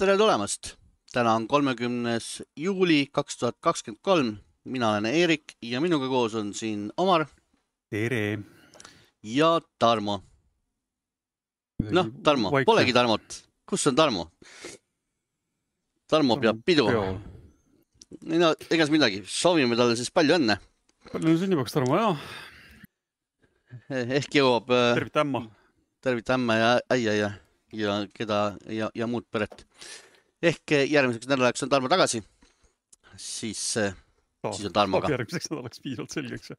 Tere tulemast! Täna on 30. juuli 2023. Mina olen Eerik ja minuga koos on siin Omar Tere! ja Tarmo. Noh, Tarmo, polegi Tarmot. Kus on Tarmo? Tarmo peab pidu. No, egas midagi. Soovime talle siis palju õnne. Palju sünnipäevaks, Tarmo, jah. Ehk jõuab... Tervita ämma ja äia ja keda ja muud peret. Ehk järgmiseks nädalaks on Tarmo tagasi. Siis on Tarmoga. Järgmiseks nädalaks piisavalt selgeks.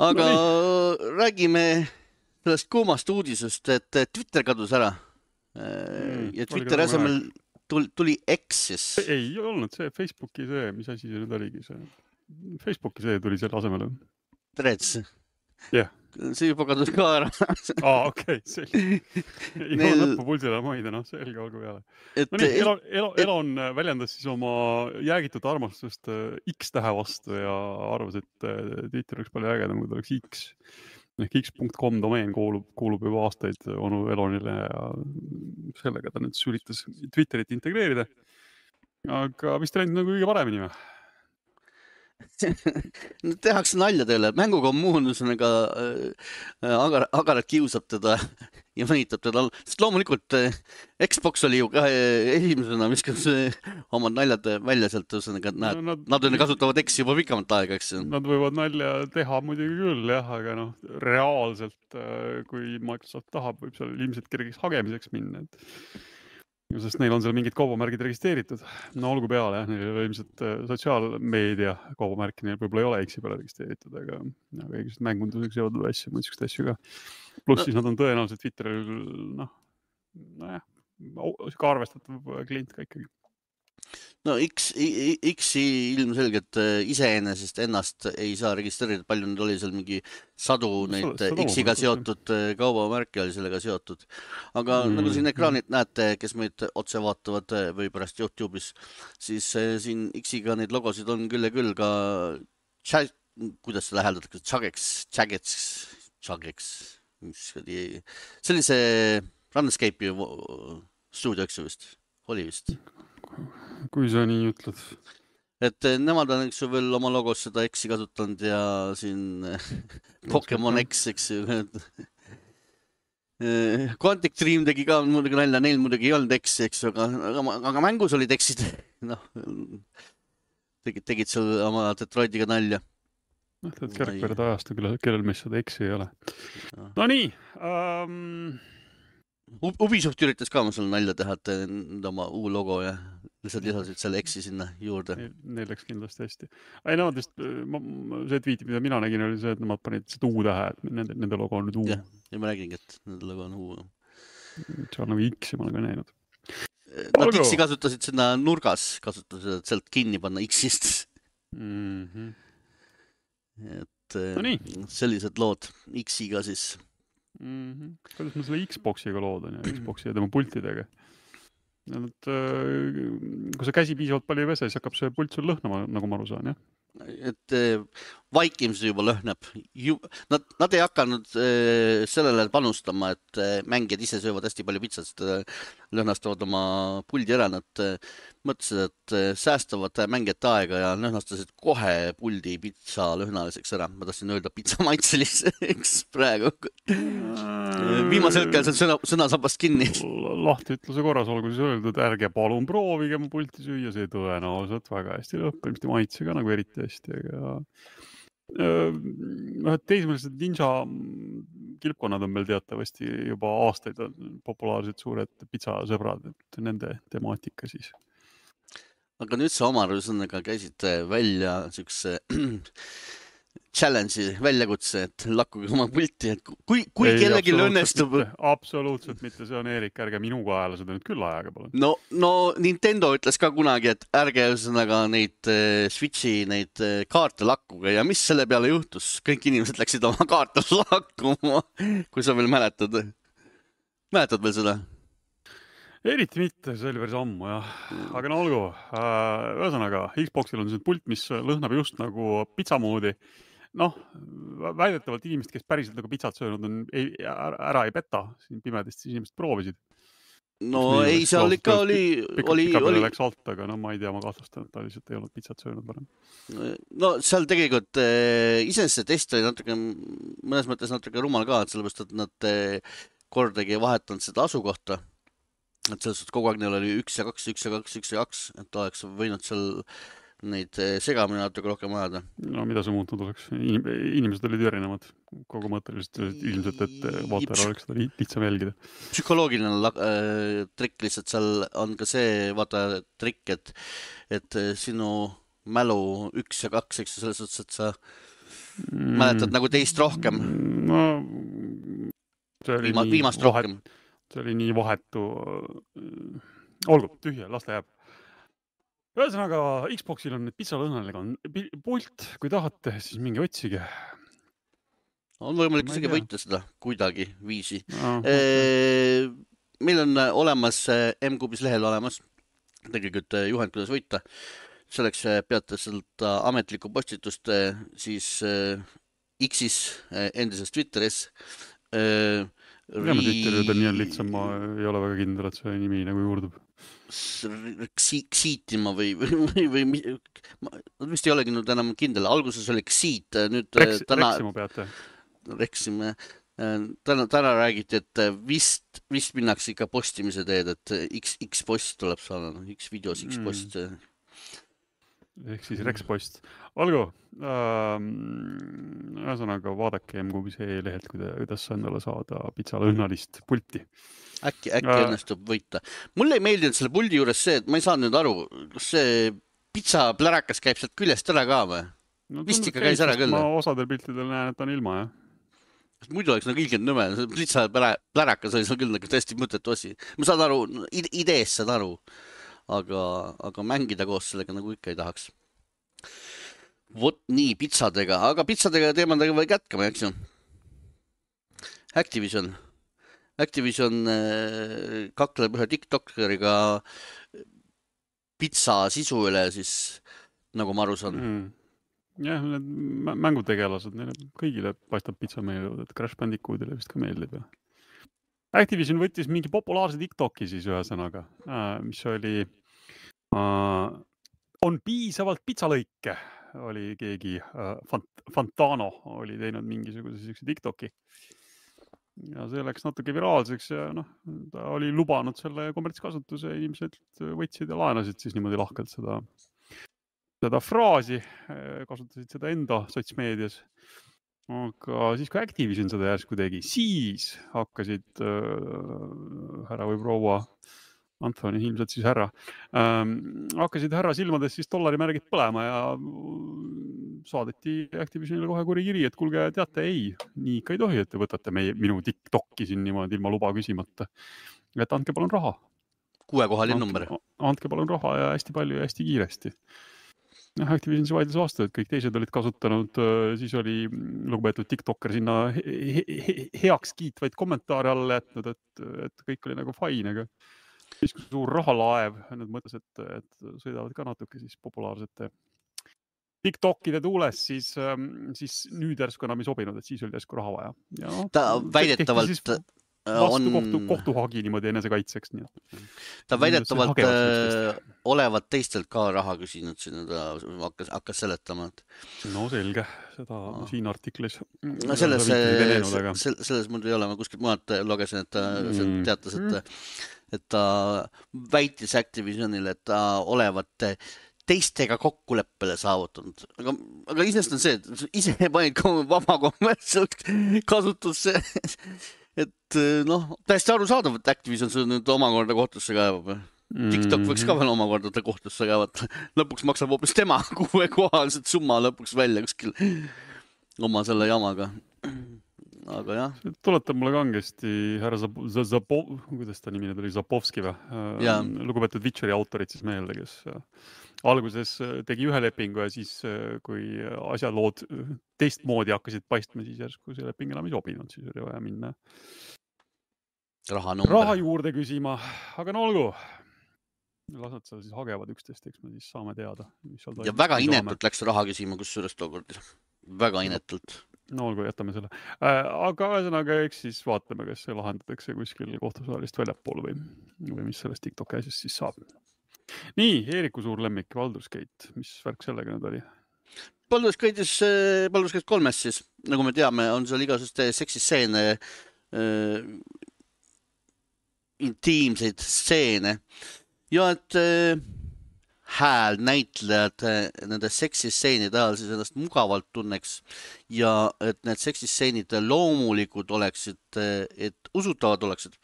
Aga räägime sellest kuumast uudisest, et Twitter kadus ära. Ja Twitteri asemel tuli X. Ei olnud see Facebooki see, mis asi see nüüd oligi see. Facebooki see tuli selle asemele. Threads. Jah. See juba kadus ka ära. Okei, selge. Ei ole lõpupulsile maida, selge olgu peale. Elon väljendas siis oma jäägitud armastust X-tähe vastu ja arvas, et Twitter oleks palju ägedam, kui ta oleks X. Ehk x.com domeen kuulub juba aastaid onu Elonile ja sellega ta nüüd üritas Twitterit integreerida. Aga vist läinud nagu kõige paremini või? Tehakse nalja teile. Mängukommuun agaralt kiusab teda ja mõnitab teda. Sest loomulikult Xbox oli ju ka esimesena, viskas omad naljad välja sealt. Nad kasutavad X juba pikamat aega, eks? Nad võivad nalja teha muidugi küll, jah, aga reaalselt, kui Microsoft tahab, võib seal ilmselt kergeks hagemiseks minna. Sest neil on seal mingid kaubamärgid registreeritud. No olgu peale, jah, neil oli ilmselt sotsiaalmeedia kaubamärki, neil võib-olla ei ole X-i peale registreeritud, aga kõigest mängunduseks jõudnud asju, mõndsust asju ka. Pluss siis nad on tõenäoliselt Twitteril, ka arvestatav klient ka ikkagi. No X-i ilmselgelt iseenesest ennast ei saa registreerida, palju nüüd oli seal mingi sadu neid X-iga seotud kaubamärki oli sellega seotud. Aga nagu siin ekraanid näete, kes meid otse vaatavad või pärast YouTube'is, siis siin X-iga neid logosid on küll ja küll ka kuidas see läheldatakse? Chageks. Sellise Runescape'i stuudio, eks ju vist? Oli vist? Kui sa nii ütled. Et nemad on eks ju veel oma logos seda X-i kasutanud ja siin Pokemon X, eks ju. Quantic Dream tegi ka muidugi nalja, neil muidugi ei olnud X, eks ju, aga mängus olid X-id. Tegid seal oma Detroitiga nalja. Kerkverd ajastu, kellel meist seda X-i ei ole. No nii. Ubisoft üritas ka seal nalja teha, et oma uu logo ja lihtsalt lisasid selle X-i sinna juurde. Neil läks kindlasti hästi. Ei, nemad vist, see tweeti, mida mina nägin, oli see, et nemad panid seda U-tähe, et nende logo on nüüd U. Ja ma räägingi, et nende logo on U. See on nagu X-i ma olen ka näinud. Nad X-i kasutasid sinna nurgas, kasutasid, et sealt kinni panna X-ist. Et sellised lood X-iga siis. Kuidas ma selle Xboxiga loodan ja Xboxi ja tema pultidega. Kui sa käsi piisavalt palju ei pese, siis hakkab see pult sul lõhnama, nagu ma aru saan, jah? Et vaikimisi juba lõhnab. Nad ei hakanud sellele panustama, et mängijad ise söövad hästi palju pitsat, sest lõhnastavad oma puldi ära. Nad mõtlesid, et säästavad mängijate aega ja lõhnastasid kohe puldi pitsa lõhnaliseks ära. Ma tahtsin öelda pitsa maitseliseks praegu. Viimasel hetkel see sõnasabast kinni. Lahti ütluse korras olgu siis öeldud, ärge palun proovige mu pulti süüa, see tõenäoliselt väga hästi lõppimist ja maitse ka nagu eriti hästi. Teismelised ninja kilpkonnad on meil teatavasti juba aastaid populaarsed suured pitsasõbrad, et nende temaatika siis. Aga nüüd sa Omar käisid välja niisuguse challenge'i väljakutse, et lakkuge oma pulti, et kui kellelgi õnnestub... Absoluutselt mitte, see on Eerik, ärge minu kaela seda nüüd küll ajaga palun. No Nintendo ütles ka kunagi, et ärge neid Switchi neid kaarte lakkuge ja mis selle peale juhtus? Kõik inimesed läksid oma kaarte lakkuma, kui sa veel mäletad. Mäletad veel seda? Eriti mitte, see oli päris ammu, jah. Aga no olgu, ühesõnaga, Xboxil on see pult, mis lõhnab just nagu pitsa moodi. Väidetavalt inimesed, kes päriselt nagu pitsat söönud on, ära ei peta, siin pimedest inimesed proovisid. no ei, seal ikka oli... Pika läks alt, aga no ma ei tea, ma kahtlustan, et ta lihtsalt ei olnud pitsat söönud varem. No seal tegelikult iseenesest see test oli natuke, mõnes mõttes natuke rumal ka, et sellepärast, et nad kordagi ei vahetanud seda asukohta. Et selles suhtes kogu aeg neil oli 1 ja 2, 1 ja 2, 1 ja 2, et oleks võinud seal neid segamini natuke rohkem ajada. No mida see muutunud oleks? Inimesed olid erinevad kogu mõtteliselt ilmselt, et vaatajal oleks seda lihtsam jälgida. Psühholoogiline trikk lihtsalt seal on ka see trikk, et sinu mälu 1 ja 2, eks selles suhtes, et sa mäletad nagu teist rohkem. No, viimast rohkem. See oli nii vahetu. Olgu, tühja, las ta jääb. Ühesõnaga, Xboxil on pitsalõhnalega on pult, kui tahate, siis mingi otsige. On võimalik isegi võita seda kuidagi viisi. Meil on olemas M-Kubis lehel olemas tegelikult juhend, kuidas võita. Selleks peate seda ametlikku postitust siis X-is, endises Twitteris. Ma Twitterid on nii lihtsam, ma ei ole väga kindel, et see nimi nagu juurdub. Xiitima või vist ei olegi nüüd enam kindel. Alguses oli Xiit, nüüd Reksima peate. Reksime. Täna räägiti, et vist minnakse ikka postimise teed, et X-post tuleb saada, X-videos, X-post. Ehk siis Rekspost. Olgu, ühesõnaga vaadake M-Kubis lehelt, kuidas endale saada pitsalõhnalist pulti. Äkki õnnestub võita. Mulle ei meeldinud selle puldi juures see, et ma ei saanud nüüd aru, kas see pitsaplärakas käib sealt küljest ära ka või? No, vist ikka käis ära küll. Ma osadel piltidel näen, et on ilma, jah. Muidu oleks nagu ilgelt nõme. Pitsaplärakas oli seal küll nagu tõesti mõttetu asi. Ma saan aru, idees saan aru, aga mängida koos sellega nagu ikka ei tahaks. Vot nii pitsadega, aga pitsadega teemadega või kätkame, eks ju? Activision kakleb ühe TikTokeriga pitsa sisu üle, siis nagu ma aru saan. Jah, need mängutegelased, neile kõigile paistab pitsa meeldivad, et Crash Bandicootile vist ka meeldib. Activision võttis mingi populaarse TikToki siis ühesõnaga, mis oli on piisavalt pitsalõike, oli keegi Fantano oli teinud mingisuguse TikToki. Ja see läks natuke viraalseks ja ta oli lubanud selle kommertskasutuse, inimesed võtsid ja laenasid siis niimoodi lahkelt seda fraasi, kasutasid seda enda sotsmeedias. Aga siis, kui Activision seda järsku tegi, siis hakkasid härra või proua Anthony, ilmselt siis härra, hakkasid härra silmades siis dollarimärgid põlema ja saadeti Activisionile kohe kuri kiri, et kuulge, teate, ei, nii ikka ei tohi, et te võtate minu TikToki siin niimoodi ilma luba küsimata. Et andke palun raha. 6-kohaline number. Andke palun raha ja hästi palju ja hästi kiiresti. Activision see vaidlus vastu, et kõik teised olid kasutanud, siis oli lugupeetud TikToker sinna heaks kiitvaid kommentaare alla jätnud, et kõik oli nagu fine, aga siis kui suur rahalaev, nüüd mõtles, et sõidavad ka natuke siis populaarsete TikTokide tuules, siis nüüd järsku enam ei sobinud, et siis oli järsku raha vaja. Ja ta väidetavalt vastu kohtuhagi niimoodi enese kaitseks. Ta väidetavalt olevat teistelt ka raha küsinud, hakkas seletama. No selge, seda siin artiklis. Selles mul ei ole, ma kuskilt mujalt lugesin, et ta teatas, et ta väitis Activisionile, et ta olevat teistega kokkuleppele saavutanud. Aga isest on see, et ise panid vaba kommertsialt kasutusse, et täiesti arusaadav, et Activision see nüüd omakorda kohtusse kaevab. TikTok võiks ka veel omakorda kohtusse kaevata. Lõpuks maksab hoopis tema 6-kohaliselt summa lõpuks välja kuskil oma selle jamaga. Aga jah. Tuletab mulle kangesti härra kuidas ta nimine tuli, Zapovski või? Lugupeetud Witcheri autorid siis meelde, kes alguses tegi ühe lepingu ja siis, kui asjalood teistmoodi hakkasid paistma, siis järsku see leping enam ei sobinud, siis oli vaja minna raha juurde küsima. Aga no olgu, las nad seal siis hagevad üksteist, eks me siis saame teada. Ja väga inetult läks raha küsima, kus suurest tookord. Väga inetult. No olgu, jätame selle. Aga ühesõnaga, eks siis vaatame, kas see lahendatakse kuskil kohtusaalist väljapool või mis sellest TikTok asjast siis saab. Nii, Eeriku suur lemmik, Baldur's Gate. Mis värk sellega nüüd oli? Baldur's Gate 3 siis, nagu me teame, on seal igasuguste seksistseene, intiimseid stseene ja et hääl näitlejad nende seksistseenide ajal siis ennast mugavalt tunneks ja et need seksistseenid loomulikud oleksid, et usutavad oleksid,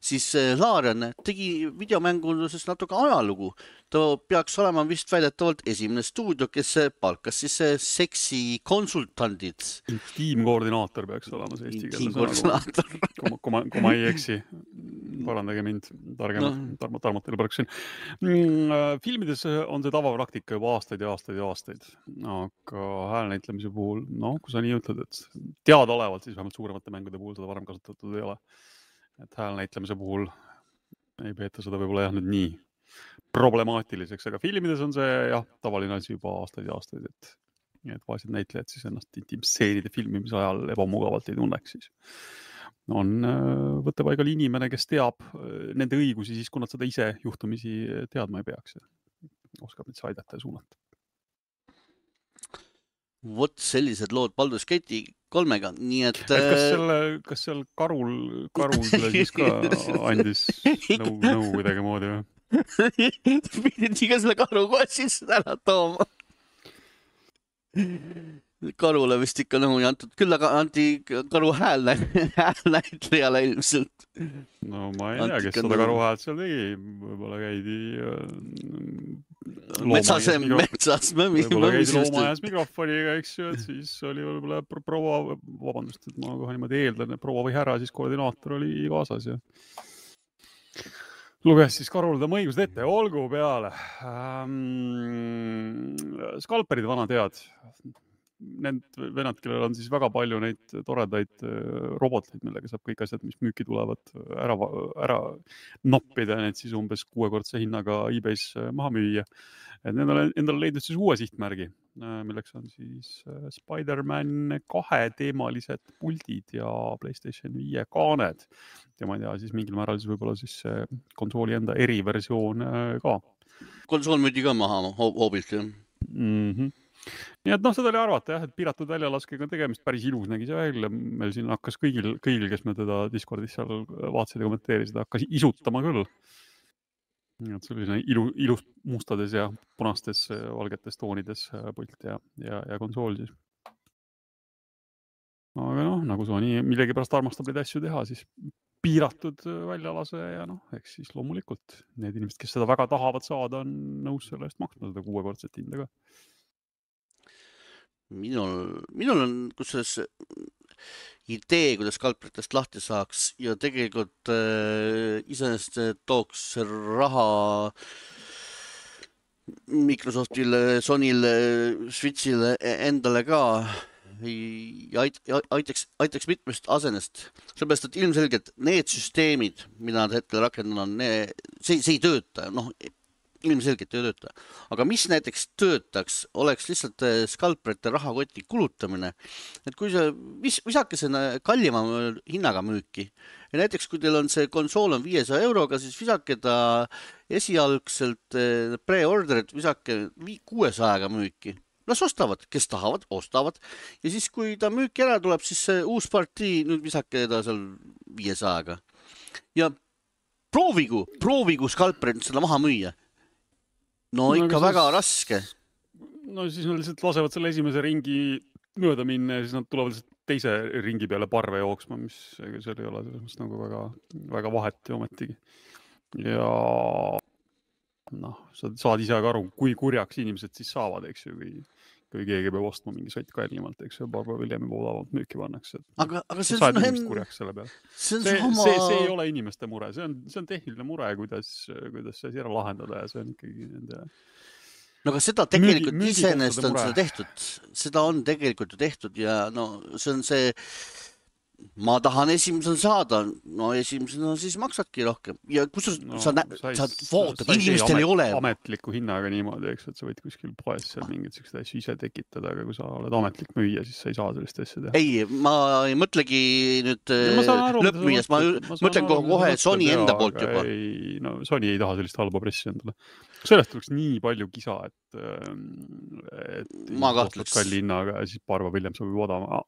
siis Larian tegi videomänguses natuke ajalugu. Ta peaks olema vist väidetavalt esimene stuudio, kes palkas siis seksi konsultandid. Intiimkoordinaator peaks olema see eesti keeles sõna. Kui ma ei eksi. Parandage mind, tarmalt teile parksin. Filmides on see tavapraktika juba aastaid ja aastaid ja aastaid. Aga häälnäitlemise puhul, kui sa nii ütled, et teadaolevalt siis vähemalt suuremate mängude puhul seda varem kasutatud ei ole. Et häälnäitlemise puhul ei peeta seda võib-olla nüüd nii problemaatiliseks, aga filmides on see tavaline asi juba aastaid ja aastaid, et vaesed näitlejad siis ennast intiimstseenide filmimise ajal ebamugavalt ei tunneks siis. On võttepaigal inimene, kes teab nende õigusi siis, kui nad seda ise juhtumisi teadma ei peaks. Oskab neid aidata ja suunata. Vot sellised lood Baldur's Gate'i 3-ga, nii et... Kas seal karul siis ka andis nõu kuidagi moodi või? Pidid iga selle karu kohe sisse ära tooma. Karule vist ikka nõu ei antud, küll aga anti karu häälnäitlejale ilmselt. No ma ei tea, kes seda karu häält seal tegi, võib-olla käidi metsas loomajas mikrofoniga, eks ju, et siis oli võib-olla proua, vabandust, et ma kohe niimoodi eeldan, et proua või härra siis koordinaator oli kaasas ja luges siis karul tema õigused ette, olgu peale. Skalperid vana tead. Need venad, kellel on siis väga palju neid toredaid roboteid, millega saab kõik asjad, mis müüki tulevad, ära noppida, need siis umbes 6-kordse hinnaga eBay's maha müüa. Et need on endale leidnud siis uue sihtmärgi, milleks on siis Spider-Man 2 teemalised puldid ja PlayStation 5 kaaned. Ja ma ei tea, siis mingil määral siis võib-olla siis konsooli enda eriversioon ka. Konsool müüdi ka maha hoobilt, jah? Nii et seda oli arvata, et piiratud väljalaskega tegemist päris ilus nägi see välja. Meil siin hakkas kõigil, kes me teda Discordis seal vaatasid ja kommenteerisid, hakkas isutama küll. Et selline ilus mustades ja punastes valgetes toonides pult ja konsool siis. Aga nagu Sony millegi pärast armastab neid asju teha, siis piiratud väljalase ja eks siis loomulikult need inimesed, kes seda väga tahavad saada, on nõus selle eest maksma seda 6-kordset hinda ka. Minul on kusjuures idee, kuidas skalperitest lahti saaks ja tegelikult iseenesest tooks raha Microsoftile, Sony'le, Switch'ile endale ka ja aitaks mitmest asenest. Sellepärast, et ilmselgelt need süsteemid, mida nad hetkel rakendavad, see ei tööta. Ilmselgelt ei tööta. Aga mis näiteks töötaks, oleks lihtsalt skalperite rahakoti kulutamine. Et kui see visakesena kallima hinnaga müüki ja näiteks kui teil on see konsool on 500 euroga, siis visake ta esialgselt pre-orderit visake 600-ga müüki. Las ostavad, kes tahavad, ostavad. Ja siis kui ta müüki ära tuleb, siis see uus partii nüüd visake ta seal 500-ga. Ja proovigu skalperit seda maha müüa. Ikka väga raske. Siis nad lihtsalt lasevad selle esimese ringi mööda minna ja siis nad tulevad teise ringi peale parve jooksma, mis seal ei ole selles nagu väga vahet ja ometigi. Ja sa saad ise ka aru, kui kurjaks inimesed siis saavad, eks ju, kui keegi peab ostma mingi sott kallimalt, eks ju, paar hiljem juba odavalt müüki pannakse. Aga see on kurjaks selle peale. See ei ole inimeste mure, see on tehniline mure, kuidas see ära lahendada ja see on ikkagi nende... Aga seda tegelikult iseenesest on seda tehtud. Seda on tegelikult ju tehtud ja see on see ma tahan esimesena saada, no esimesena siis maksadki rohkem ja kus sa vaatad, inimestel ei ole. Ametliku hinnaga niimoodi, eks, et sa võid kuskil poes seal mingid sellised asju ise tekitada, aga kui sa oled ametlik müüja, siis sa ei saa sellist asja teha. Ei, ma ei mõtlegi nüüd lõppmüüjast, ma mõtlen kohe Sony enda poolt juba. Ei, no Sony ei taha sellist halba pressi endale. Sellest tuleks nii palju kisa, et ma kahtleks kalli hinnaga ja siis paar päeva hiljem sobib odama.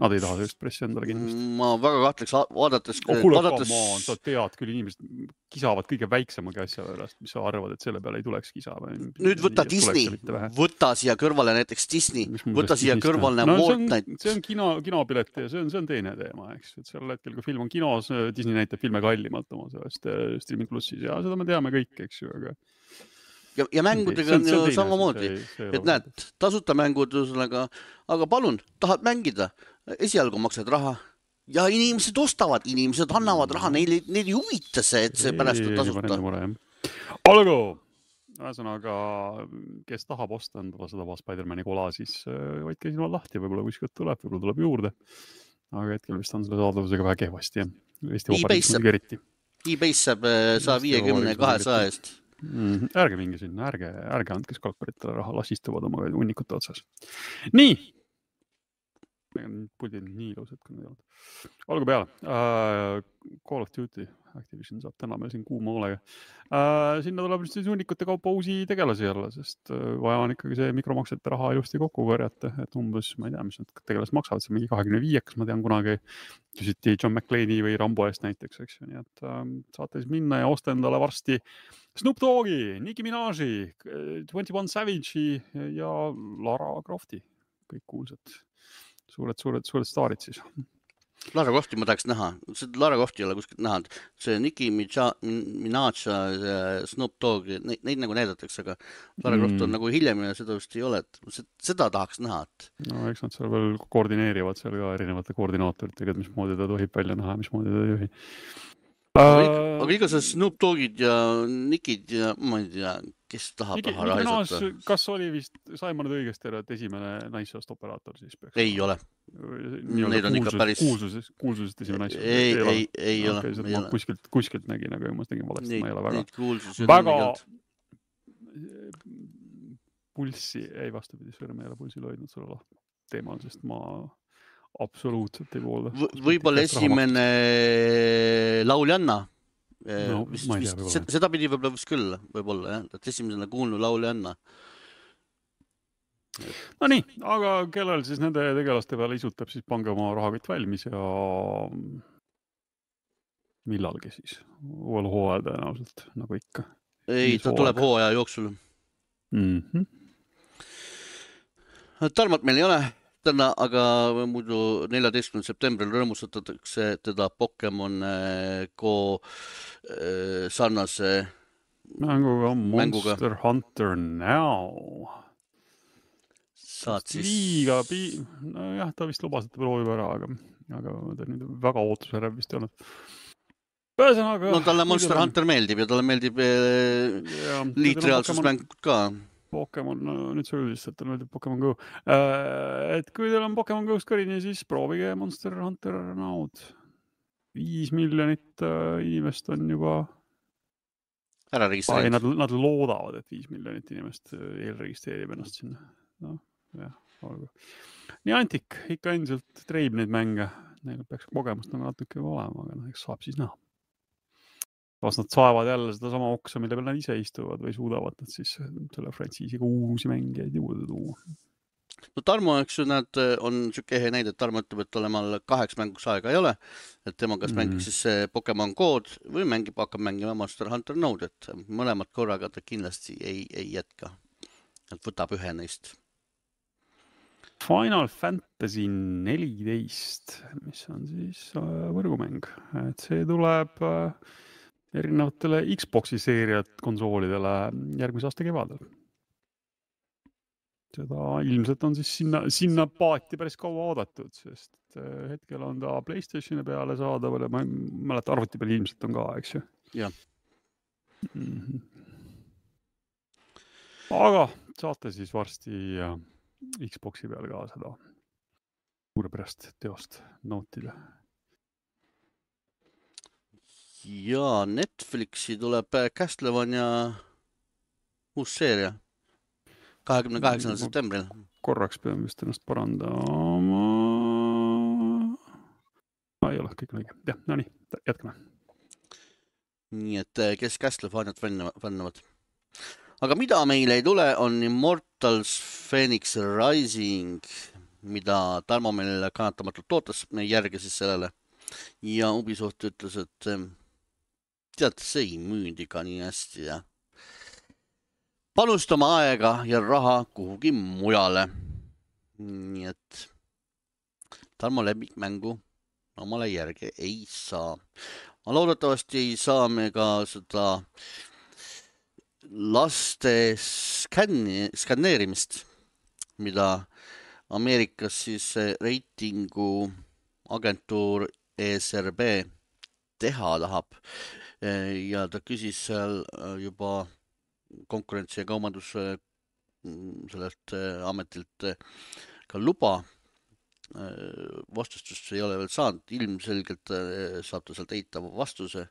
Nad ei taha sellist pressi endale kindlasti. Ma väga kahtleks vaadates... Sa tead küll, inimesed kisavad kõige väiksemagi asja pärast, mis sa arvad, et selle peale ei tuleks kisa. Nüüd võta Disney, võta siia kõrvale näiteks Disney, võta siia kõrvale Fortnite. See on kinopilet ja see on teine teema, eks. Sel hetkel, kui film on kinos, Disney näitab filme kallimalt oma sellest streaming plussis ja seda me teame kõik, eks ju, aga... Ja mängudega on ju samamoodi, et näed, tasuta mängud, aga palun, tahad mängida, esialgu maksad raha ja inimesed ostavad, inimesed annavad raha, neil ei huvita see, et see pärast on tasuta. Olgu, ühesõnaga, kes tahab osta endale seda Spider-Mani kola, siis hoidke silmad lahti, võib-olla kuskilt tuleb, võib-olla tuleb juurde, aga hetkel vist on selle saadavusega väga kehvasti. eBay's saab 150-200 eest. Ärge minge sinna, ärge andke skalperitele raha, las istuvad oma hunnikute otsas. Nii! Puldid nii ilusad, kui need olnud. Olgu peale. Call of Duty Activision saab täna meil siin kuuma hoolega. Sinna tuleb siis hunnikute kaupa uusi tegelasi jälle, sest vaja on ikkagi see mikromaksete raha ilusti kokku korjata, et umbes, ma ei tea, mis need tegelased maksavad, see mingi 25, kas ma tean kunagi küsiti John McClane'i või Rambo eest näiteks, eks ju, nii et saate siis minna ja osta endale varsti Snoop Doggi, Nicki Minaji, 21 Savage'i ja Lara Crofti, kõik kuulsad. Suured staarid siis. Lara Crofti ma tahaks näha. Lara Crofti ei ole kuskilt näha. See Nicki Minaj, Snoop Dogg, neid nagu näidatakse, aga Lara Croft on nagu hiljem ja seda vist ei ole. Seda tahaks näha. No eks nad seal veel koordineerivad seal ka erinevate koordinaatoritega, et mismoodi ta tohib välja näha, mismoodi ta ei juhi. Aga igasugused Snoop Doggid ja Nickid ja ma ei tea, kes tahab raha raisata. Kas oli vist, sai ma nüüd õigesti ära, et esimene naissoost operaator siis peaks? Ei ole. Neid on ikka päris... Kuulsusest esimene naissoost? Ei ole. Ma kuskilt nägin, aga ma tegin valesti, ma ei ole väga... Pulssi, ei vastupidi, sõrme ei ole pulsil hoidnud selle teemal, sest ma... absoluutselt ei poolda. Võib-olla esimene lauljanna. Seda pidi võib-olla vist küll, võib-olla, jah. Et esimesena kuulnud lauljanna. No nii, aga kellel siis nende tegelaste peale isutab, siis pange oma rahakott valmis ja millalgi siis. Uuel hooajal tõenäoliselt, nagu ikka. Ei, ta tuleb hooaja jooksul. Tarmat meil ei ole. Täna, aga muidu 14. septembril rõõmustatakse teda Pokemon Go sarnase mänguga Monster Hunter Now. Saad siis... Nojah, ta vist lubas, et ta proovib ära, aga ta nüüd väga ootusärv vist ei olnud. No talle Monster Hunter meeldib ja talle meeldib liitreaalsusmängud ka. Pokemon, nüüd sa üldiselt, et tal meeldib Pokemon Go. Et kui teil on Pokemon Go'st kõrini, siis proovige Monster Hunter Now'd. 5 miljonit inimest on juba... ära registreerib. Nad loodavad, et 5 miljonit inimest eelregistreerib ennast sinna. No, jah, olgu. Nii Antik, ikka endiselt treib neid mänge. Neil peaks kogemust nagu natuke olema, aga eks saab siis näha. Kas nad saavad jälle seda sama oksa, mille peal nad ise istuvad või suudavad nad siis selle frantsiisiga uusi mängijaid juurde tuua? No Tarmo, eks ju, nad on siuke ehe näide, et Tarmo ütleb, et olemal 8 mänguks aega ei ole, et tema kas mängiks siis Pokemon Go'd või hakkab mängima Monster Hunter Now'd, et mõlemad korraga ta kindlasti ei jätka. Et võtab ühe neist. Final Fantasy 14, mis on siis võrgumäng. Et see tuleb... erinevatele Xboxi seeriat konsoolidele järgmise aasta kevadel. Seda ilmselt on siis sinna paati päris kaua oodatud, sest hetkel on ta PlayStationi peale saadaval ja ma mäleta arvuti peal ilmselt on ka, eks ju? Jah. Aga saate siis varsti Xboxi peal ka seda suurepärast teost nautida. Ja Netflixi tuleb Castlevania uus seeria 28. septembril. Korraks peame vist ennast parandama. Ei ole, kõik on õige. Jah, no nii, jätkame. Nii et kes Castlevaniat fännavad. Aga mida meil ei tule, on Immortals Phoenix Rising, mida Tarmo meil kannatamatult ootas, me järgi siis sellele. Ja Ubisoft ütles, et tead, see ei müünud ikka nii hästi ja panustama aega ja raha kuhugi mujale. Nii et Tarmo lemmikmängu omale järgi ei saa. Ma loodetavasti ei saa me ka seda laste skanneerimist, mida Ameerikas siis reitingu agentuur ESRB teha tahab. Ja ta küsis seal juba konkurentsi ja kaubanduse sellelt ametilt ka luba. Vastustust ei ole veel saanud, ilmselgelt saab ta sealt eitava vastuse.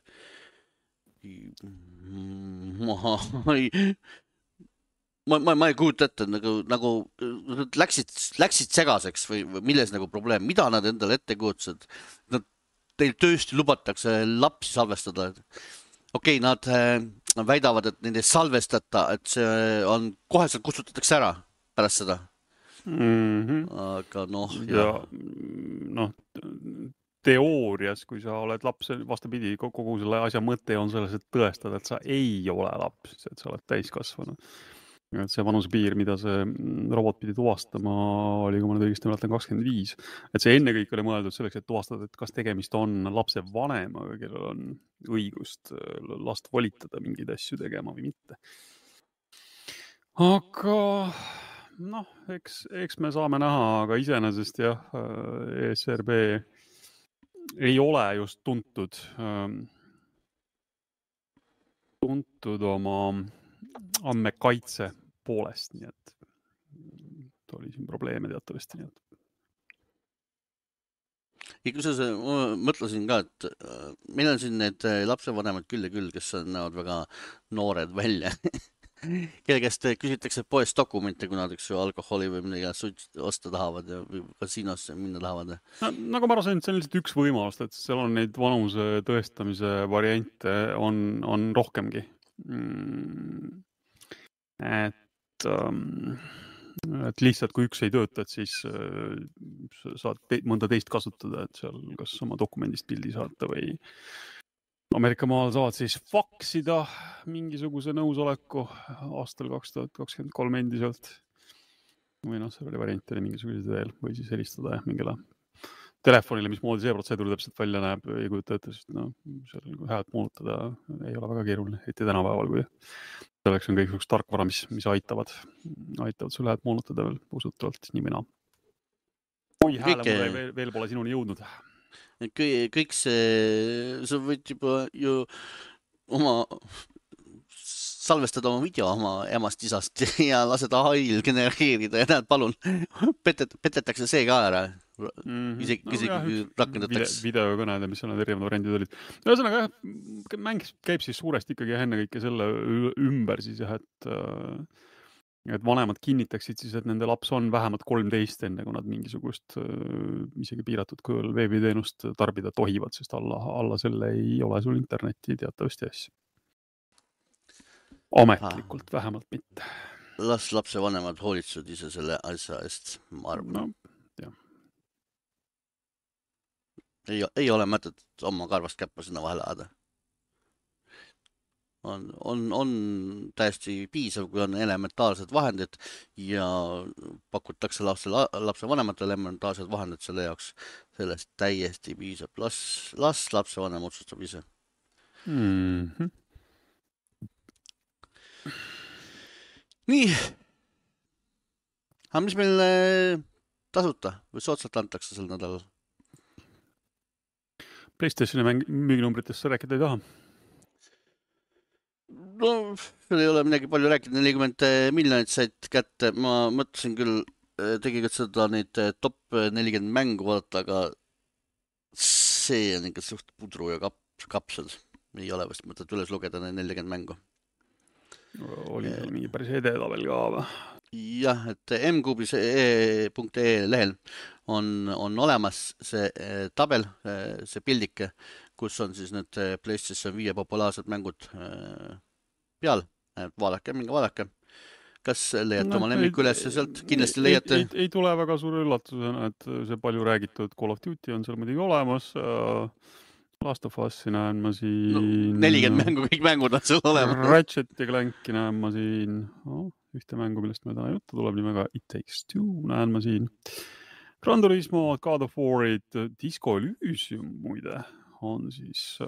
Ma ei kujuta ette, nagu läksid segaseks või milles nagu probleem, mida nad endale ette kujutasid. Teil tõesti lubatakse lapsi salvestada. Okei, nad väidavad, et neid ei salvestata, et see on koheselt kustutatakse ära pärast seda. Aga teoorias, kui sa oled laps, vastapidi, kogu selle asja mõte on selles, et tõestada, et sa ei ole laps, et sa oled täiskasvanud. Et see vanusepiir, mida see robot pidi tuvastama, oli, kui ma nüüd õigesti mäletan, 25. Et see enne kõik oli mõeldud selleks, et tuvastada, et kas tegemist on lapse vanemaga, kellel on õigust last volitada mingeid asju tegema või mitte. Aga eks me saame näha, aga iseenesest jah, ESRB ei ole just tuntud oma andmekaitse poolest, nii et oli siin probleeme teatavasti. Nii et. Ja kusjuures ma mõtlesin ka, et meil on siin need lapsevanemad küll ja küll, kes näevad väga noored välja. Kelle käest küsitakse poest dokumente, kui nad alkoholi või midagi osta tahavad ja kasiinosse minna tahavad. Nagu ma arvasin, see on lihtsalt üks võimalus, et seal on neid vanuse tõestamise variante on rohkemgi. Et lihtsalt kui üks ei tööta, et siis saad mõnda teist kasutada, et seal kas oma dokumendist pildi saata või Ameerika maal saavad siis faksida mingisuguse nõusoleku aastal 2023 endiselt. Või see oli variant oli mingisugused veel või siis helistada mingile telefonile, mismoodi see protseduur täpselt välja näeb, ei kujuta ette, sest seal häält moonutada ei ole väga keeruline, eriti tänapäeval, kui selleks on kõik üks tarkvara, mis aitavad sul häält moonutada veel usutavalt nii mina. Oi, hääle veel pole sinuni jõudnud. Kõik see, sa võid juba ju salvestada oma video oma emast isast ja lased AI-l genereerida ja näed, palun, petetakse see ka ära. Isegi rakendatakse. Videokõned, mis on need erinevad variandid olid. Ühesõnaga, mäng käib siis suuresti ikkagi enne kõike selle ümber siis jah, et vanemad kinnitaksid siis, et nende laps on vähemalt 13 enne, kui nad mingisugust isegi piiratud kujul veebiteenust tarbida tohivad, sest alla selle ei ole sul internetti teatavasti asju. Ametlikult vähemalt mitte. Las lapse vanemad hoolitsevad ise selle asja eest, ma arvan. Ei ole mõtet oma karvast käppa sinna vahele ajada. On täiesti piisav, kui on elementaalsed vahendid ja pakutakse lapse vanematele elementaalsed vahendid selle jaoks. Sellest täiesti piisab. Las lapse vanem otsustab ise. Nii. Aga mis meil tasuta või soodsalt antakse sel nädalal? PlayStationi müüginumbritest sa rääkida ei taha? No, seal ei ole midagi palju rääkida, 40 miljonit said kätte. Ma mõtlesin küll, tegelikult seda neid top 40 mängu vaadata, aga see on ikka suht pudru ja kapsel. Ei ole vast mõtet üles lugeda need 40 mängu. Oli seal mingi päris edetabel ka või? Jah, et mkubi.ee lehel on olemas see tabel, see pildike, kus on siis need PlayStation 5 populaarsed mängud peal. Vaadake, minge vaadake. Kas leiate oma lemmiku üles sealt? Kindlasti leiate. Ei tule väga suure üllatusena, et see palju räägitud Call of Duty on seal muidugi olemas. Last of Us'i näen ma siin. 40 mängu, kõik mängud on seal olemas. Ratchet ja Clanki näen ma siin. Ühte mängu, millest me täna juttu tuleb nimega It Takes Two näen ma siin. Gran Turismo, God of War'id, Disco Elysium muide on siis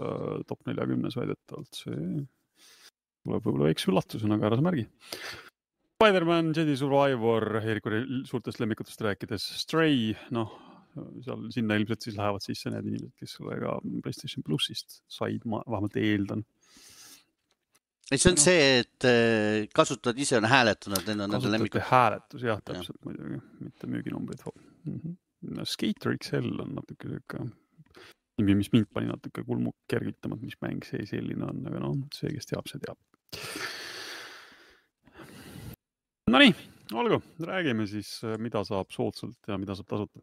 top 40 väidetavalt. See tuleb võib-olla väikse üllatusena, aga ära sa märgi. Spider-Man, Jedi Survivor, Eeriku suurtest lemmikutest rääkides, Stray, seal sinna ilmselt siis lähevad sisse need inimesed, kes sellega PlayStation Plusist said, ma vähemalt eeldan. See on see, et kasutajad ise on hääletanud nende lemmikud. Hääletus, jah, täpselt muidugi, mitte müüginumbrid. Skater XL on natuke selline nimi, mis mind pani natuke kulmu kergitama, mis mäng see selline on, aga see, kes teab, see teab. Nonii, olgu, räägime siis, mida saab soodsalt ja mida saab tasuta.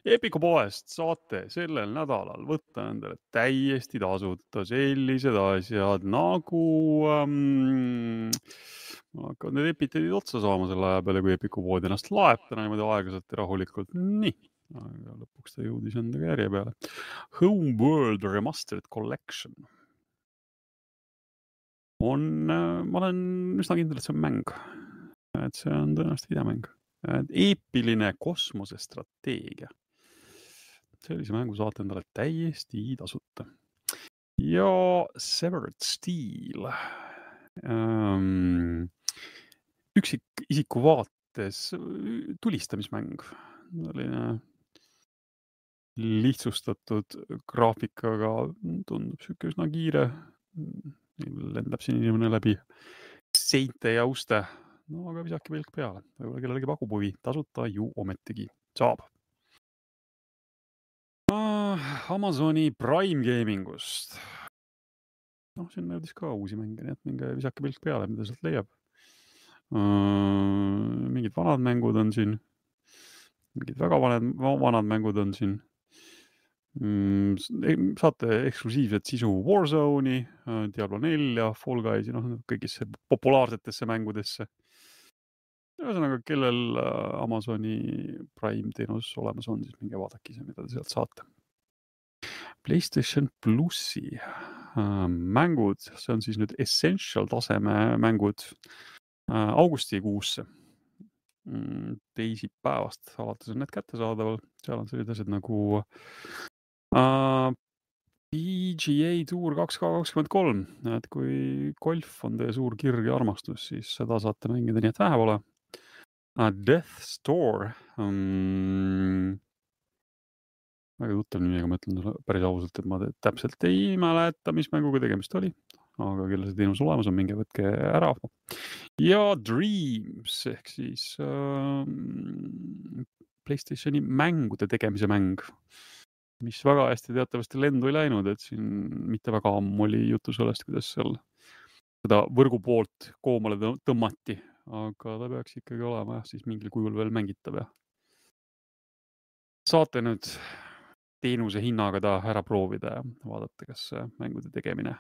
Epiku poest saate sellel nädalal võtta endale täiesti tasuta sellised asjad nagu hakkavad need epiteedid otsa saama selle aja peale, kui Epiku pood ennast laeb täna niimoodi aeglaselt ja rahulikult. Nii, aga lõpuks ta jõudis endaga järje peale. Homeworld Remastered Collection ma olen üsna kindel, et see on mäng. Et see on tõenäoliselt videomäng. Eepiline kosmosestrateegia. Sellise mängu saate endale täiesti tasuta. Ja Severed Steel. Üksikisiku vaates tulistamismäng. Lihtsustatud graafikaga tundub siuke üsna kiire. Lendab siin inimene läbi seinte ja uste. Aga visake pilk peale. Võib-olla kellelegi pakub huvi. Tasuta ju ometigi saab. Amazoni Prime Gamingust. Siin näidis ka uusi mänge, nii et minge visake pilk peale, mida sealt leiab. Mingid vanad mängud on siin. Mingid väga vanad mängud on siin. Saate eksklusiivset sisu Warzone'i, Diablo 4, Fall Guysi, kõigisse populaarsetesse mängudesse. Ühesõnaga, kellel Amazoni Prime teenus olemas on, siis minge vaadake ise, mida te sealt saate. PlayStation Plusi mängud, see on siis nüüd Essential taseme mängud augustikuusse. Teisipäevast alates on need kättesaadaval. Seal on sellised asjad nagu PGA Tour 2K23. Et kui golf on teie suur kirg ja armastus, siis seda saate mängida nii, et vähe pole. Death Store. Väga tuttav nimi, aga ma ütlen päris ausalt, et ma täpselt ei mäleta, mis mänguga tegemist oli. Aga kelle see teenus olemas on, minge võtke ära. Ja Dreams, ehk siis PlayStationi mängude tegemise mäng, mis väga hästi teatavasti lendu ei läinud, et siin mitte väga ammu oli jutu sellest, kuidas seal seda võrgu poolt koomale tõmmati, aga ta peaks ikkagi olema siis mingil kujul veel mängitav. Saate nüüd teenuse hinnaga ta ära proovida ja vaadata, kas mängude tegemine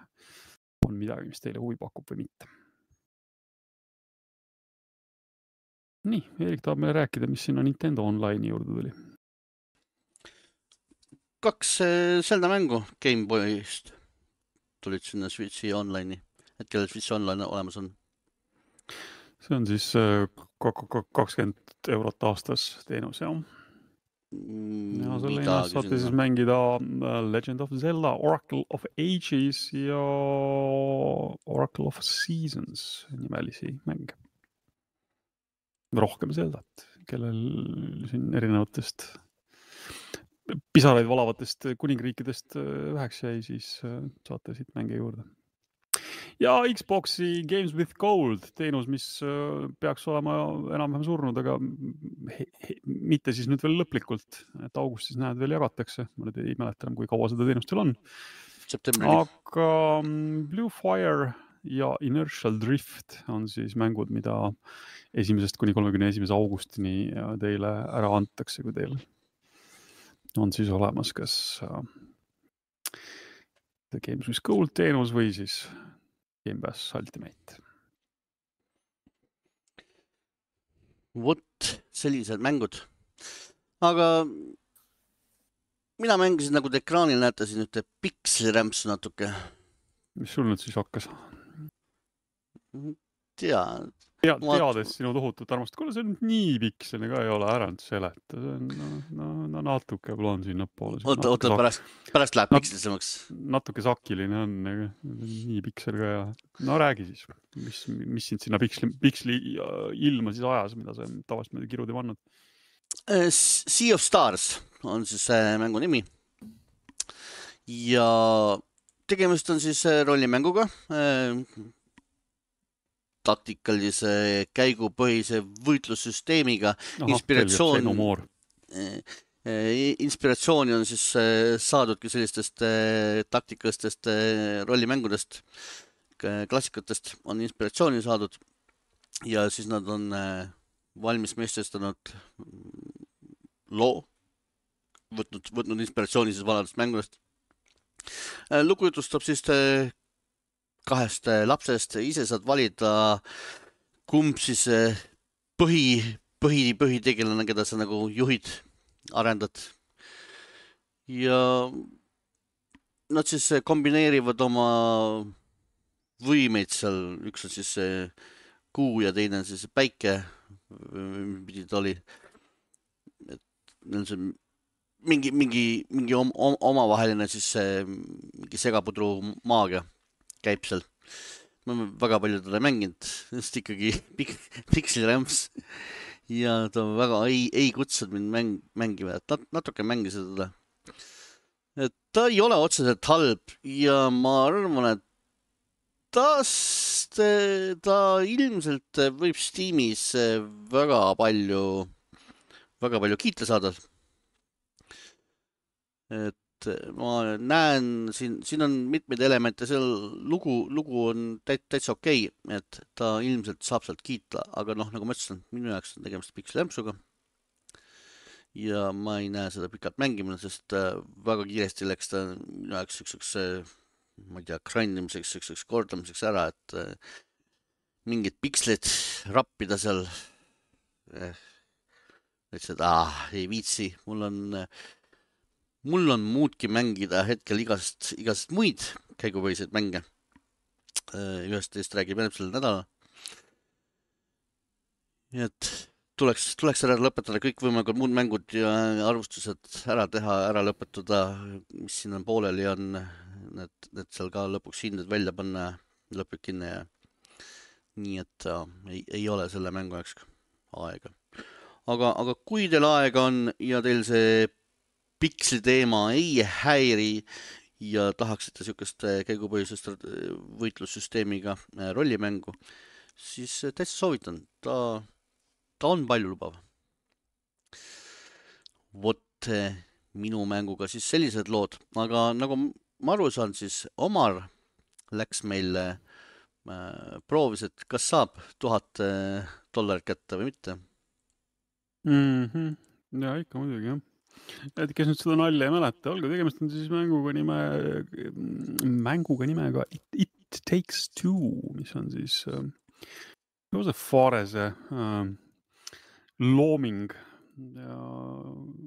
on midagi, mis teile huvi pakub või mitte. Nii, Erik tahab meile rääkida, mis sinna Nintendo Online'i juurde tuli. 2 Zelda mängu Game Boy'st tulid sinna Switchi Online'i, et kellel Switch Online olemas on. See on siis 20 eurot aastas teenus, jah. Ja selle hinnast saate siis mängida Legend of Zelda, Oracle of Ages ja Oracle of Seasons nimelisi mänge. Rohkem Zeldat, kellel siin erinevatest pisaraid valavatest kuningriikidest väheks jäi, siis saate siit mänge juurde. Ja Xboxi Games with Gold teenus, mis peaks olema enam-vähem surnud, aga mitte siis nüüd veel lõplikult, et augustis näed veel jagatakse. Ma nüüd ei mäleta enam, kui kaua seda teenust veel on. Septembrini. Aga Blue Fire ja Inertial Drift on siis mängud, mida 1. kuni 31. augustini teile ära antakse, kui teil on siis olemas kas The Games with Gold teenus või siis Game Pass Ultimate. Vot sellised mängud. Aga mina mängisin, nagu te ekraanil näete siin ühte pikslirämpsu natuke. Mis sul nüüd siis hakkas? Teades sinu tohutut armast. Kuule, see on nii piksline ka ei ole, ära nüüd seleta. See on natuke plaan siin näppoole. Oota, pärast läheb pikslisemaks. Natuke sakiline on, nii piksel ka ja... No räägi siis, mis sind sinna piksli ilma siis ajas, mida sa tavast mööda kirud ei pannud? Sea of Stars on siis mängu nimi. Ja tegemist on siis rollimänguga. Taktikalise käigupõhise võitlussüsteemiga. Inspiratsiooni on siis saadudki sellistest taktikalistest rollimängudest, klassikatest on inspiratsiooni saadud ja siis nad on valmis meestestanud loo, võtnud inspiratsiooni siis vanadest mängudest. Lugu jutustab siis 2 lapsest, ise saad valida, kumb siis põhitegelane, keda sa nagu juhid, arendad. Ja nad siis kombineerivad oma võimeid seal, üks on siis kuu ja teine on siis päike, pidi ta oli. Mingi omavaheline siis mingi segapudru maagia käib seal. Ma väga palju teda mänginud, sest ikkagi pikslirämps ja ta väga ei kutsud mind mängima, et natuke mängisin teda. Et ta ei ole otseselt halb ja ma arvan, et ta ilmselt võib Steamis väga palju kiita saada. Et ma näen, siin on mitmeid elemente, seal lugu on täitsa okei, et ta ilmselt saab sealt kiita, aga nagu ma ütlesin, minu jaoks on tegemist pikslirämpsuga. Ja ma ei näe seda pikalt mängimine, sest väga kiiresti läks ta minu jaoks üks, ma ei tea, grindimiseks, üks kordamiseks ära, et mingid pikslid rappida seal. Ütlesin, et ei viitsi, mul on muudki mängida hetkel igast muid käigupõhiseid mänge. Ühest teist räägib järgmisel nädalal. Et tuleks ära lõpetada kõik võimalikud muud mängud ja arvustused ära teha, ära lõpetada, mis siin on pooleli on, et seal ka lõpuks hinded välja panna lõplik hinne ja nii, et ei ole selle mängu jaoks aega. Aga kui teil aega on ja teil see piksli teema ei häiri ja tahaksite niisugust käigupõhisest võitlussüsteemiga rollimängu, siis täitsa soovitan. Ta on palju lubav. Vot minu mänguga siis sellised lood, aga nagu ma aru saan, siis Omar läks meil proovis, et kas saab $1000 kätte või mitte. Ja ikka muidugi, jah. Et kes nüüd seda nalja ei mäleta, olgu tegemist on siis mänguga nimega It Takes Two, mis on siis Faarese looming ja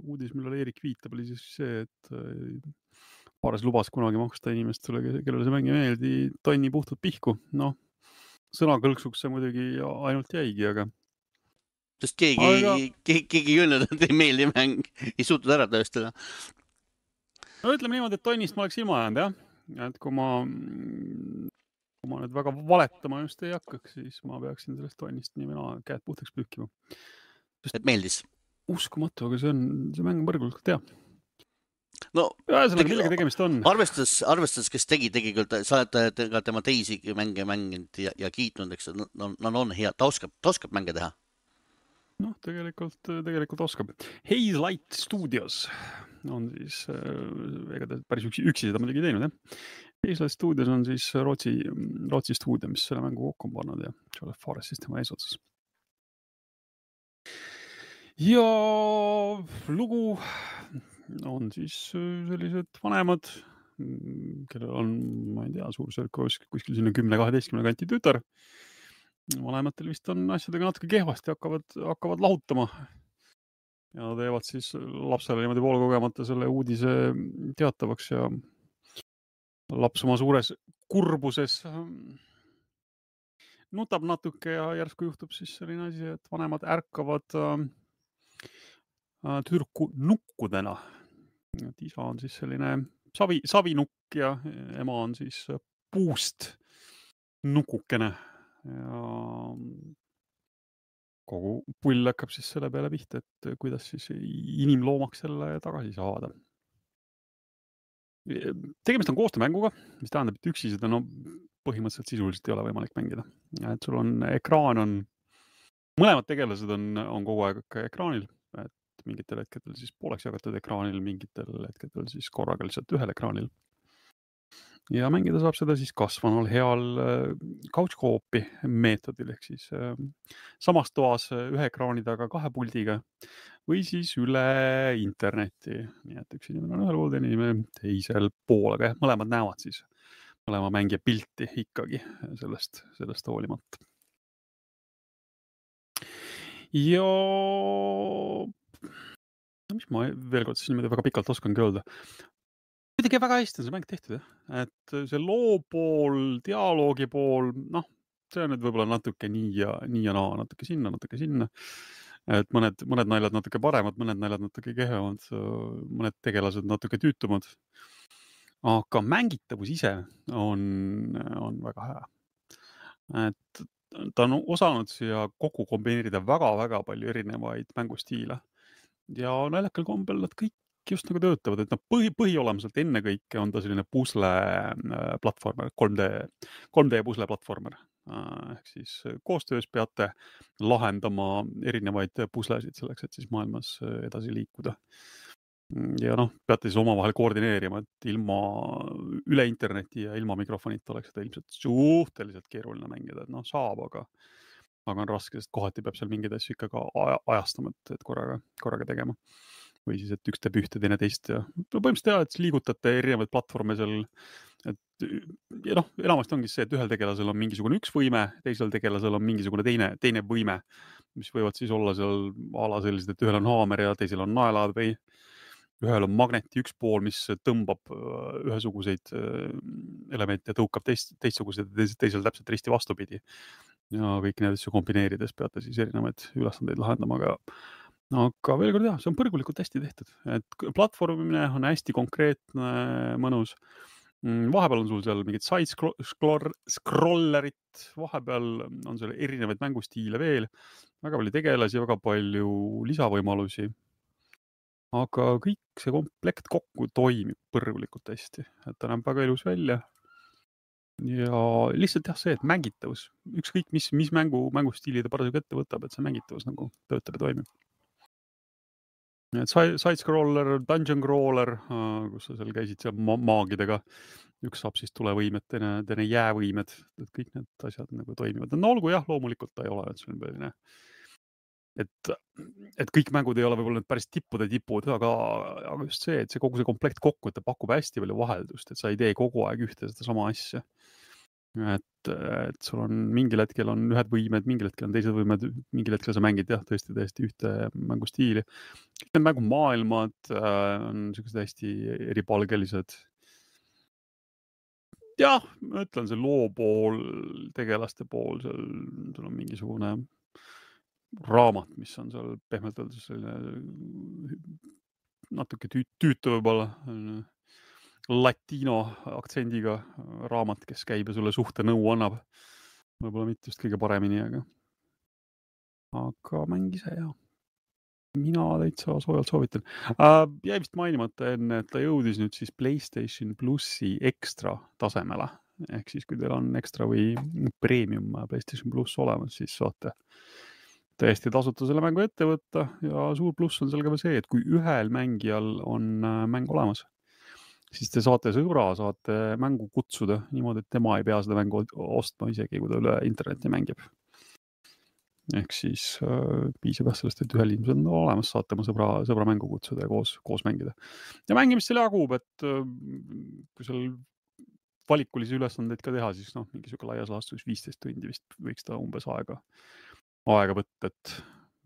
uudis, millele Erik viitab, oli siis see, et Faares lubas kunagi maksta inimestele, kellele see mäng ei meeldi, tonni puhtalt pihku. Sõnakõlksuks see muidugi ainult jäigi, aga sest keegi ei öelnud, et ei meeldi mäng, ei suutnud ära tõestada. No ütleme niimoodi, et tonnist ma oleks ilma jäänud, jah. Et kui ma nüüd väga valetama just ei hakkaks, siis ma peaksin sellest tonnist nii või käed puhtaks pühkima. Et meeldis? Uskumatu, aga see mäng on põrgult hea. no ühesõnaga, millega tegemist on? Arvestades, kes tegi küll, sa oled ka tema teisi mänge mänginud ja kiitnud, eks, nad on hea, ta oskab mänge teha. Noh, tegelikult oskab. Haze Light Studios on siis, ega ta päris üksi seda muidugi teinud, jah. Haze Light Studios on siis Rootsi stuudio, mis selle mängu kokku on pannud ja Joel Forest siis tema eesotsas. Ja lugu on siis sellised vanemad, kellel on, ma ei tea, suurusjärk kuskil sinna 10-12 kanti tütar. Vanematel vist on asjadega natuke kehvasti, hakkavad lahutama ja teevad siis lapsele niimoodi poolkogemata selle uudise teatavaks ja laps oma suures kurbuses nutab natuke ja järsku juhtub siis selline asi, et vanemad ärkavad tüdruku nukkudena. Et isa on siis selline savinukk ja ema on siis puust nukukene ja kogu pull hakkab siis selle peale pihta, et kuidas siis inimloomaks selle tagasi saada. Tegemist on koostöömänguga, mis tähendab, et üksi seda põhimõtteliselt sisuliselt ei ole võimalik mängida. Et sul on ekraan, mõlemad tegelased on kogu aeg ka ekraanil, et mingitel hetkedel siis pooleks jagatud ekraanil, mingitel hetkedel siis korraga lihtsalt ühel ekraanil. Ja mängida saab seda siis kasvanul heal couch co-op'i meetodil, ehk siis samas toas ühe ekraani taga 2 puldiga või siis üle interneti. Nii et üks inimene on ühel pool, teine inimene teisel pool, aga mõlemad näevad siis mõlema mängija pilti ikkagi sellest hoolimata. Ja mis ma veel kord siis niimoodi väga pikalt oskangi öelda. Kuidagi väga hästi on see mäng tehtud, jah. Et see loo pool, dialoogi pool, see on nüüd võib-olla natuke nii ja naa, natuke sinna. Et mõned naljad natuke paremad, mõned naljad natuke kehvemad, mõned tegelased natuke tüütumad. Aga mängitavus ise on väga hea. Et ta on osanud siia kokku kombineerida väga-väga palju erinevaid mängustiile. Ja naljakal kombel nad kõik just nagu töötavad, et põhiolemuselt ennekõike on ta selline pusle platvormer, 3D pusle platvormer. Ehk siis koostöös peate lahendama erinevaid puslesid selleks, et siis maailmas edasi liikuda. Ja peate siis omavahel koordineerima, et ilma üle interneti ja ilma mikrofonita oleks seda ilmselt suhteliselt keeruline mängida, et saab, aga on raske, sest kohati peab seal mingeid asju ikka ka ajastama, et korraga tegema. Või siis, et üks teeb ühte, teine teist ja põhimõtteliselt et liigutate erinevaid platvorme seal, et ja enamasti ongi see, et ühel tegelasel on mingisugune üks võime, teisel tegelasel on mingisugune teine võime, mis võivad siis olla seal ala sellised, et ühel on haamer ja teisel on naelad või ühel on magneti üks pool, mis tõmbab ühesuguseid elemente ja tõukab teistsuguseid ja teisel täpselt risti vastupidi. Ja kõik need asju kombineerides peate siis erinevaid ülesandeid lahendama, aga veel kord see on põrgulikult hästi tehtud, et platvormimine on hästi konkreetne, mõnus. Vahepeal on sul seal mingid side-scrollerit, vahepeal on seal erinevaid mängustiile veel, väga palju tegelasi, väga palju lisavõimalusi. Aga kõik see komplekt kokku toimib põrgulikult hästi, et ta näeb väga ilus välja. Ja lihtsalt see, et mängitavus, ükskõik mis mängustiili ta parasjagu ette võtab, et see mängitavus nagu töötab ja toimib. Et side-scroller, dungeon crawler, kus sa seal käisid seal maagidega, üks saab siis tulevõimed, teine jäävõimed, et kõik need asjad nagu toimivad. Olgu jah, loomulikult ta ei ole, et see on selline, et kõik mängud ei ole võib-olla need päris tipud, aga just see, et kogu see komplekt kokku, et ta pakub hästi palju vaheldust, et sa ei tee kogu aeg ühte seda sama asja. Et sul on mingil hetkel on ühed võimed, mingil hetkel on teised võimed, mingil hetkel sa mängid tõesti ühte mängustiili. Kõik need mängumaailmad on sellised hästi eripalgelised. Jah, ma ütlen, see loo pool, tegelaste pool, sul on mingisugune raamat, mis on seal pehmelt öeldes selline natuke tüütu võib-olla, latino aktsendiga raamat, kes käib ja sulle suhte nõu annab. Võib-olla mitte just kõige paremini, aga mäng ise mina täitsa soojalt soovitan. Jäi vist mainimata enne, et ta jõudis nüüd siis PlayStation Plussi ekstra tasemele. Ehk siis, kui teil on ekstra või premium PlayStation Plus olemas, siis saate täiesti tasuta selle mängu ette võtta ja suur pluss on seal ka see, et kui ühel mängijal on mäng olemas, siis te saate sõbra, saate mängu kutsuda niimoodi, et tema ei pea seda mängu ostma isegi, kui ta üle interneti mängib. Ehk siis piisab sellest, et ühel inimesel on olemas, saate oma sõbra mängu kutsuda ja koos mängida. Ja mängimist seal jagub, et kui seal valikulisi ülesandeid ka teha, siis mingi siuke laias laastus 15 tundi vist võiks ta umbes aega võtta, et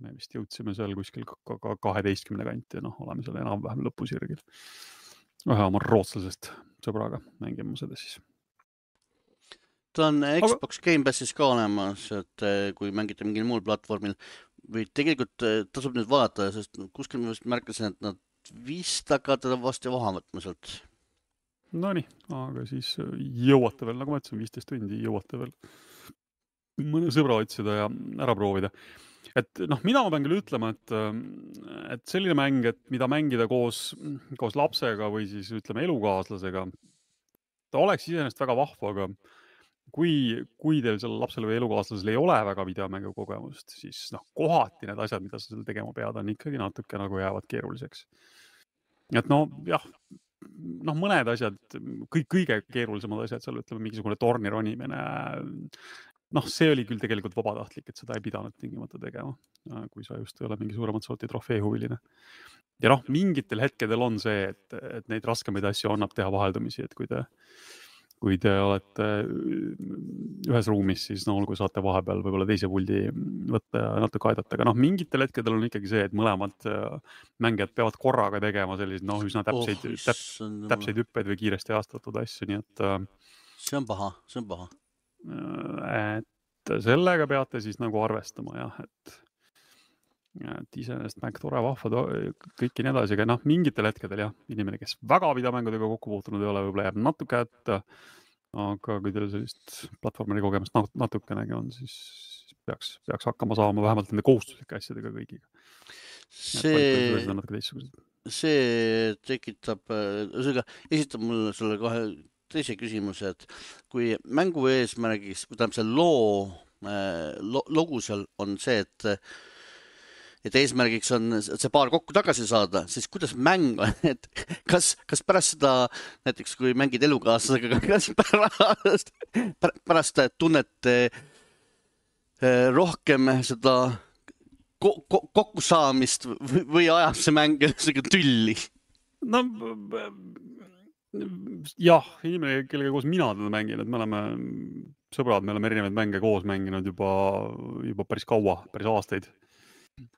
me vist jõudsime seal kuskil 12 kanti ja oleme seal enam-vähem lõpusirgil. Ühe oma rootslasest sõbraga mängime seda siis. Ta on Xbox Game Passis ka olemas, et kui mängite mingil muul platvormil või tegelikult tasub nüüd vaadata, sest kuskil ma vist märkasin, et nad vist hakkavad teda vast vaha võtma sealt. Nonii, aga siis jõuate veel, nagu ma ütlesin, 15 tundi jõuate veel mõne sõbra otsida ja ära proovida. Et mida ma pean küll ütlema, et selline mäng, et mida mängida koos lapsega või siis ütleme elukaaslasega, ta oleks iseenesest väga vahva, aga kui teil seal lapsel või elukaaslasel ei ole väga videomängu kogemust, siis kohati need asjad, mida sa seal tegema pead, on ikkagi natuke nagu jäävad keeruliseks. Et jah, mõned asjad, kõige keerulisemad asjad seal, ütleme, mingisugune torni ronimine, see oli küll tegelikult vabatahtlik, et seda ei pidanud tingimata tegema, kui sa just ei ole mingi suuremat sorti trofeehuviline. Ja mingitel hetkedel on see, et neid raskemaid asju annab teha vaheldumisi, et kui te olete ühes ruumis, siis olgu saate vahepeal võib-olla teise puldi võtta ja natuke aidata, aga mingitel hetkedel on ikkagi see, et mõlemad mängijad peavad korraga tegema selliseid üsna täpseid hüppeid või kiiresti aastatud asju, nii et see on paha. Et sellega peate siis arvestama, jah, et iseenesest mäng tore, vahva, kõik nii edasi, aga mingitel hetkedel jah, inimene, kes väga videomängudega kokku puutunud ei ole, võib-olla jääb natuke ette, aga kui teil sellist platvormeri kogemust natukenegi on, siis peaks hakkama saama vähemalt nende kohustuslike asjadega kõigiga. See tekitab, esitab mulle selle kohe teise küsimuse, et kui mängu eesmärgiks, kui see logu seal on see, et eesmärgiks on see paar kokku tagasi saada, siis kuidas mäng on, et kas pärast seda, näiteks kui mängid elukaaslasega, kas pärast tunnete rohkem seda kokkusaamist või ajab see mäng tülli? Jah, inimene, kellega koos mina teda mängin, et me oleme sõbrad, me oleme erinevaid mänge koos mänginud juba päris kaua, päris aastaid.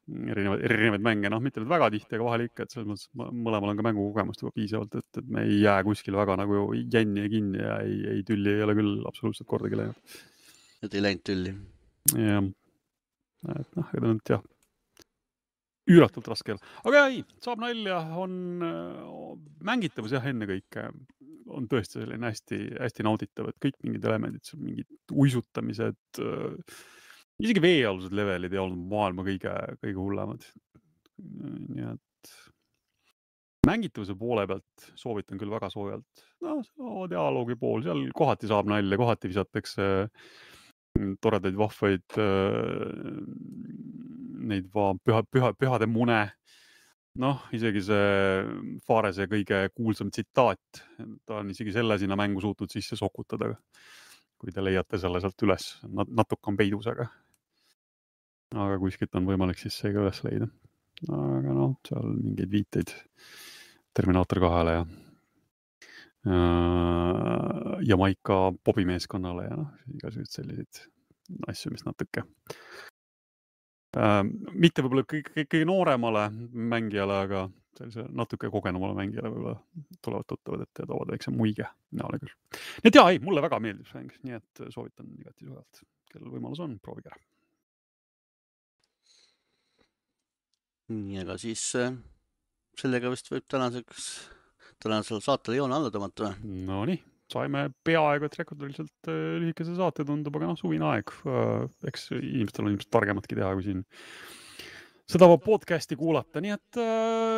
Erinevaid mänge, mitte nüüd väga tihti, aga vahel ikka, et selles mõttes mõlemal on ka mängukogemust juba piisavalt, et me ei jää kuskil väga jänni ja kinni ja ei tülli ei ole küll absoluutselt kordagi läinud. Et ei läinud tülli? Jah, et jah, üüratult raske. Aga ei, saab nalja, on mängitavus jah, enne kõike on tõesti selline hästi nauditav, et kõik mingid elemendid, mingid uisutamised, isegi veealused levelid ei olnud maailma kõige hullemad. Nii et mängitavuse poole pealt soovitan küll väga soojalt. Dialoogi pool, seal kohati saab nalja, kohati visatakse toredaid vahvaid neid pühade mune. Isegi see Farese kõige kuulsam tsitaat, ta on isegi selle sinna mängu suutnud sisse sokutada, kui te leiate selle sealt üles. Natuke on peidus, aga kuskilt on võimalik siis see ka üles leida. Aga seal mingeid viiteid Terminaator 2-le ja Jamaica pobimeeskonnale ja igasugused selliseid asju, mis natuke mitte võib-olla kõige nooremale mängijale, aga natuke kogenumale mängijale võib-olla tulevad tuttavad, et toovad väikse muige näole küll. Nii et ei, mulle väga meeldib see mäng, nii et soovitan igati soojalt. Kellel võimalus on, proovige ära. Nii, aga siis sellega vist võib tänasel saatele joone alla tõmmata. No nii, saime peaaegu, et rekordiliselt lühikese saate tundub, aga suvine aeg. Eks inimestel on ilmselt targematki teha, kui siin seda podcasti kuulata, nii et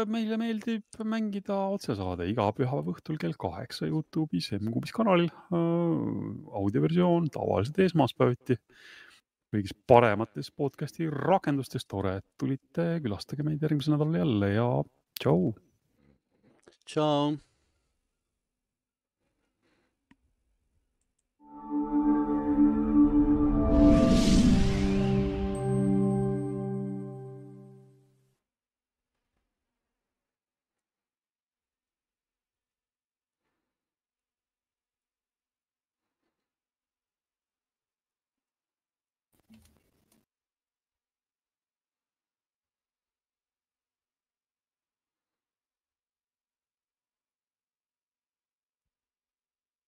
meile meeldib mängida otsesaade iga pühapäeva õhtul kell 8 YouTube'is M-Kuubis kanalil. Audioversioon tavaliselt esmaspäeviti kõigis paremates podcasti rakendustes. Tore, et tulite, külastage meid järgmisel nädalal jälle ja tšau. Tšau.